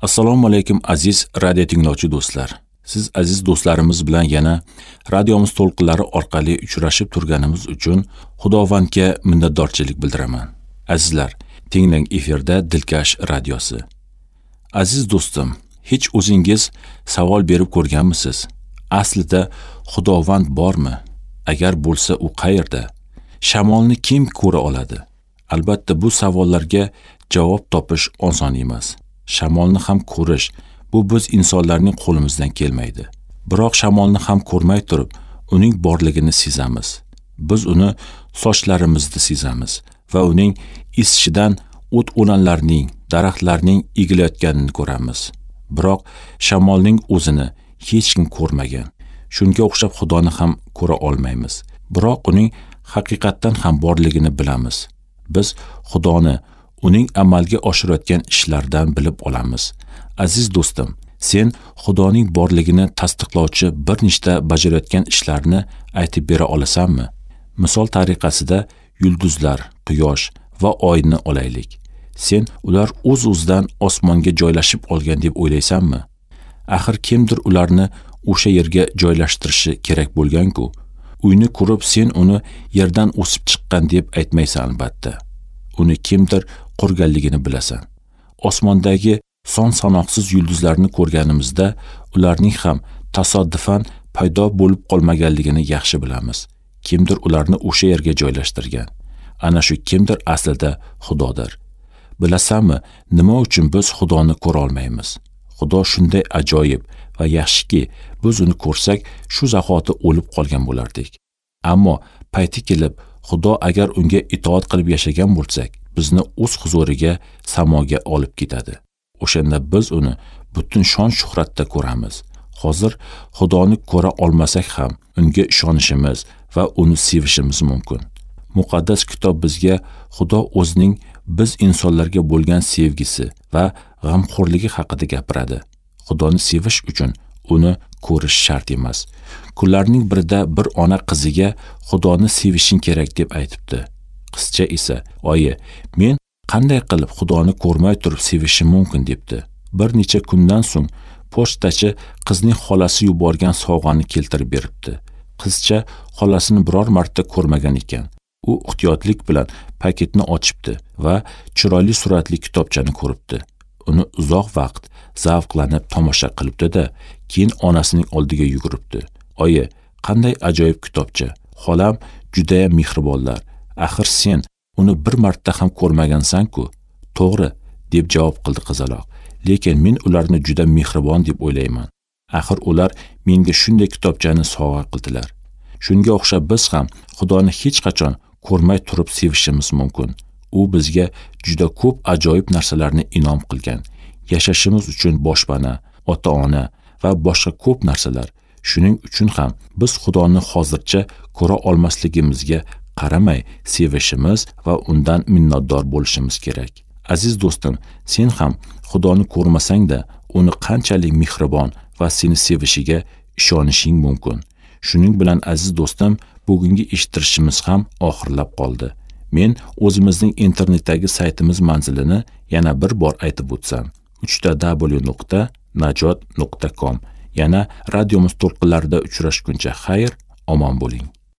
Assalomu alaykum aziz radio tinglovchi do'stlar. Siz aziz do'stlarimiz bilan yana radiomiz to'lqinlari orqali uchrashib turganimiz uchun Xudovandga minnatdorchilik bildiraman. Azizlar, tinglang, efirda Dilkash radiosi. Aziz do'stim, hech o'zingiz savol berib ko'rganmisiz? Aslida Xudovand bormi? Agar bo'lsa, u qayerda? Shamolni kim ko'ra oladi? Albatta bu savollarga javob topish oson emas. Shamolni ham ko'rish bu biz insonlarning qo'limizdan kelmaydi. Biroq shamolni ham ko'rmay turib, uning borligini sezamiz. Biz uni sochlarimizda sezamiz va uning esishidan o't o'lanlarning, daraxtlarning egilayotganini ko'ramiz. Biroq shamolning o'zini hech kim ko'rmagan. Shunga o'xshab Xudoni ham ko'ra olmaymiz. Biroq uning haqiqatdan ham borligini bilamiz. Biz Xudoni uning amalga oshirayotgan ishlaridan bilib olamiz. Aziz do'stim, sen Xudoning borligini tasdiqlovchi bir nechta bajarayotgan ishlarni aytib bera olasanmi? Misol tariqasida yulduzlar, quyosh va oyni olaylik. Sen ular o'z-o'zidan osmonga joylashib olgan deb o'ylaysanmi? Axir kimdir ularni o'sha yerga joylashtirishi kerak bo'lgan-ku. Uyni ko'rib sen uni yerdan o'sib chiqqan deb aytmaysan albatta. Uni kimdir qurganligini bilasan. Osmondagi son sanoqsiz yulduzlarni ko'rganimizda ularning ham tasodifan paydo bo'lib qolmaganligini yaxshi bilamiz. Kimdir ularni o'sha yerga joylashtirgan. Ana shu kimdir aslida Xudodir. Bilasanmi, nima uchun biz Xudoni ko'ra olmaymiz? Xudo shunday ajoyib va yaxshiki, biz uni ko'rsak, shu zahoti o'lib qolgan bo'lardik. Ammo payti kelib, Xudo agar unga itoat qilib yashagan bo'lsak, bizni o'z huzuriga, samoga olib ketadi. O'shanda biz uni butun shon-shuhratda ko'ramiz. Hozir Xudoni ko'ra olmasak ham, unga ishonishimiz va uni sevishimiz mumkin. Muqaddas kitob bizga Xudo o'zining biz insonlarga bo'lgan sevgisi va g'amxo'rligi haqida gapiradi. Xudoni sevish uchun uni ko'rish shart emas. Kunlarning birida bir ona qiziga Xudoni sevishing kerak deb aytibdi. Qizcha esa, "Oyi, men qanday qilib Xudoni ko'rmay turib sevishim mumkin?" debdi. Bir necha kundan so'ng pochtachi qizning xolasi yuborgan sovg'ani keltirib beribdi. Qizcha xolasini biror marta ko'rmagan ekan. U ehtiyotlik bilan paketni ochibdi va chiroyli suratli kitobchani ko'ribdi. Uni uzoq vaqt zavqlanib tomosha qilibdi-da, keyin onasining oldiga yuguribdi. "Oyi, qanday ajoyib kitobcha. Xolam juda ham mehribonlar. Axir sen uni bir marta ham ko'rmagansan-ku." "To'g'ri", deb javob qildi qizaloq. "Lekin men ularni juda mehribon deb o'ylayman. Axir ular menga shunday kitobchani sovg'a qildilar." Shunga o'xshab biz ham Xudoni hech qachon ko'rmay turib sevishimiz mumkin. U bizga juda ko'p ajoyib narsalarni inom qilgan. Yashashimiz uchun boshpana, ota-ona va boshqa ko'p narsalar. Shuning uchun ham biz Xudoni hozircha ko'ra olmasligimizga qaramay sevishimiz va undan minnatdor bo'lishimiz kerak. Aziz do'stim, sen ham Xudoni ko'rmasang-da, uni qanchalik mehribon va seni sevishiga ishonishing mumkin. Shuning bilan aziz do'stim, bugungi eshittirishimiz ham oxirlab qoldi. Men o'zimizning internetdagi saytimiz manzilini yana bir bor aytib o'tsam: www.najot.com. Yana radiomiz to'lqinlarida uchrashguncha xayr, omon bo'ling.